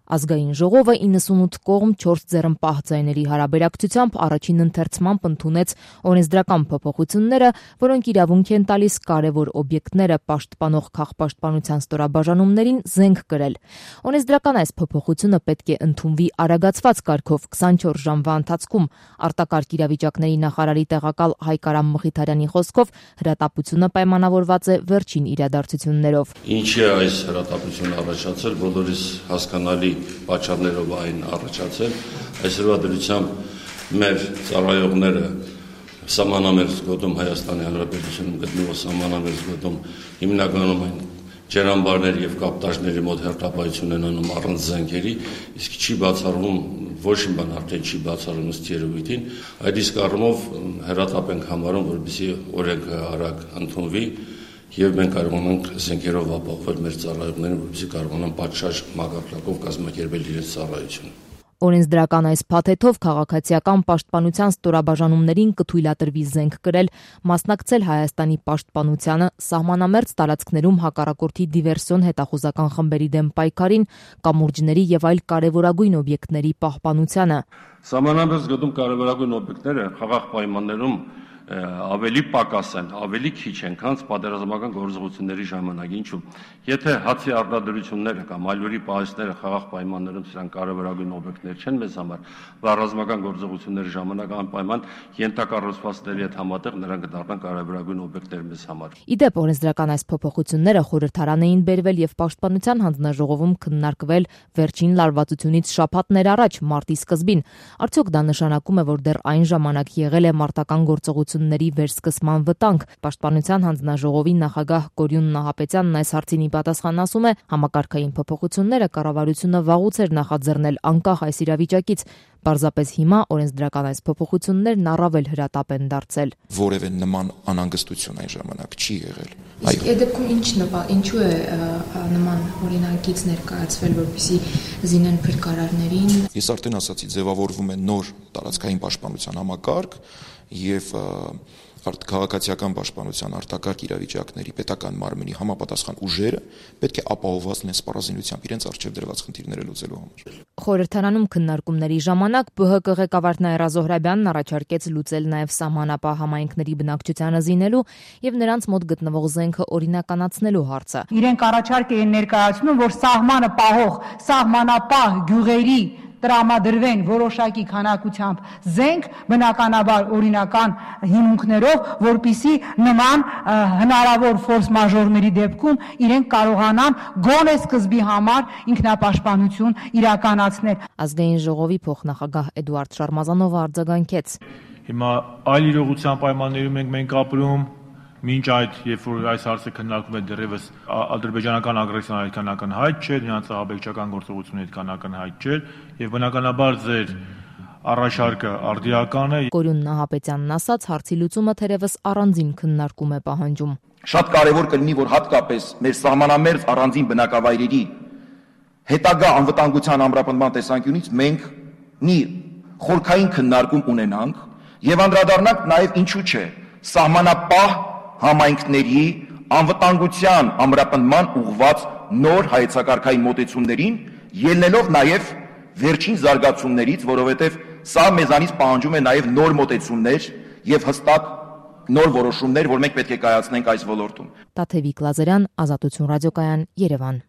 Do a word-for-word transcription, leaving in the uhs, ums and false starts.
Ազգային ժողովը իննսունութ կողմ չորս ձեռնպահ ձայների հարաբերակցությամբ առաջին ընթերցմամբ ընդունեց օրենսդրական փոփոխությունները, որոնք իրավունք են տալիս կարևոր օբյեկտները պաշտպանող քաղաքապաշտպանության ստորաբաժանումներին զենք կրել։ Օրենսդրական այս փոփոխությունը պետք է ընդունվի արագացված կարգով քսանչորս ժամվա ընթացքում։ Արտակարգ իրավիճակների նախարարի տեղակալ Հայկ Արամ Մխիթարյանի խոսքով հրատապությունը պայմանավորված է վերջին իրադարձություններով։ Ինչի է այս հրատապությունը առաջացել, բոլորիս հասկանալի պատճառներով այն առաջացել, այսօրվա դրությամբ մեր ծառայողները սահմանամերձ գոտում Հայաստանի Հանրապետությունում գտնվող սահմանամերձ գոտում հիմնականում այն ջրամբարներ եւ կապտաժների մոտ հերթապահություն են անում առանց զենքերի, իսկ չի բացառվում ոչ մի բան արդեն չի բացառվում ըստ երևույթին, այդ իսկ առումով հրատապ ենք համարում, որպեսզի օրենքը արագ ընդունվի եւ մենք կարողանանք զենքերով ապահովել մեր ծառայողներին, որպեսզի կարողանան պատշաճ մակարդակով կազմակերպել իրենց ծառայությունը։ Օրենսդրական այս փաթեթով քաղաքացիական պաշտպանության ստորաբաժանումներին կթույլատրվի զենք կրել, մասնակցել Հայաստանի պաշտպանությանը, սահմանամերձ տարածքներում հակառակորդի դիվերսիոն հետախուզական խմբերի դեմ պայքարին, կամուրջների եւ այլ կարեւորագույն օբյեկտների պահպանությանը։ Սահմանամերձ գոտում կարեւորագույն օբյեկտները խաղաղ պայմաններում ավելի պակաս են, ավելի քիչ են, քան պատերազմական գործողությունների ժամանակ։ Ինչու՞։ Եթե հացի արտադրությունները կամ ալյուրի պահեստները խաղաղ պայմաններում սրանք կարևորագույն օբյեկտներ չեն մեզ համար, բայց ռազմական գործողությունների ժամանակ անպայման ենթակառուցվածքների հետ համատեղ նրանք կդառնան կարևորագույն օբյեկտներ մեզ համար։ Իդեպ օրենսդրական այս փոփոխությունները խորհրդարան էին բերվել եւ Պաշտպանության հանձնաժողովում քննարկվել վերջին լարվածությունից շաբաթներ առաջ, մարտի սկզբին։ Արդյոք դա նշանակում է, որ դեռ այն ժամանակ եղել է մարտական գործողությունների վերսկսման վտանգ։ Պաշտպանության հանձնաժողովի նախագահ Կորյուն Նահապետյանն այս հարցին ի պատասխան ասում է, համակարգային փոփոխությունները կառավարությունը վաղուց էր նախաձեռնել անկախ այս իրավիճակից։ Պարզապես հիմա օրենսդրական այս փոփոխություններն առավել հրատապ են դարձել։ Որևէ նման անհանգստություն այն ժամանակ չի եղել։ Իսկ այդ դեպքում ինչ նպա, ինչու է նման օրինակից ներկայացվել, որպեսզի զինեն փրկարարներին։ Ես արդեն ասացի, ձևավորվում է նոր տարածքային պաշտպանության համակարգ եւ քաղաքացիական պաշտպանության արտակարգ իրավիճակների պետական մարմնի համապատասխան ուժերը պետք է ապահովված լինեն սպառազինությամբ իրենց առջև դրված խնդիրները լուծելու համար։ Խորհրդարանում քննարկումների ժամանակ ԲՀԿ ղեկավար Նաիրա Զոհրաբյանն առաջարկեց լուծել նաև սահմանապահ համայնքների բնակչությանը զինելու եւ նրանց մոտ գտնվող զենքը օրինականացնելու հարցը։ Իրենք առաջարկ էին ներկայացնում, որ սահմանը պահող սահմանապահ գյուղերի տրամադրվեն որոշակի քանակությամբ զենք, բնականաբար օրինական հիմունքներով, որպիսի նման հնարավոր ֆորս մաժորների դեպքում իրենք կարողանան գոնե սկզբի համար ինքնապաշտպանություն իրականացնել։ Ազգային ժողովի փոխնախագահ Էդուարդ Շարմազանովը արձագանքեց։ Հիմա այլ իրողության պայմաններում ենք մենք ապրում, մինչ այդ, երբ որ այս հարցը քննարկվում է դեռևս ադրբեջանական ագրեսիան այդքան ակնհայտ չէ, նրանց ահաբեկչական գործողությունը այդքան ակնհայտ չէ, եւ բնականաբար ձեր առաջարկը արդիական է։ Կորյուն Նահապետյանն ասաց, հարցի լուծումը թերևս առանձին քննարկում է պահանջում։ Շատ կարևոր կլինի, որ հատկապես մեր սահմանամերձ առանձին բնակավայրերի հետագա անվտանգության ամրապնդման տեսանկյունից մենք մի խորքային քննարկում ունենանք եւ անդրադառնանք նաեւ ինչու՞ չէ սահմանապահ համայնքների անվտանգության ամրապնդման ուղղված նոր հայեցակարգային մոտեցումներին, ելնելով նաև վերջին զարգացումներից, որովհետև սա մեզանից պահանջում է նաև նոր մոտեցումներ եւ հստակ նոր որոշումներ, որ մենք պետք է կայացնենք այս ոլորտում։ Տաթևիկ Լազարյան, Ազատություն ռադիոկայան, Երևան։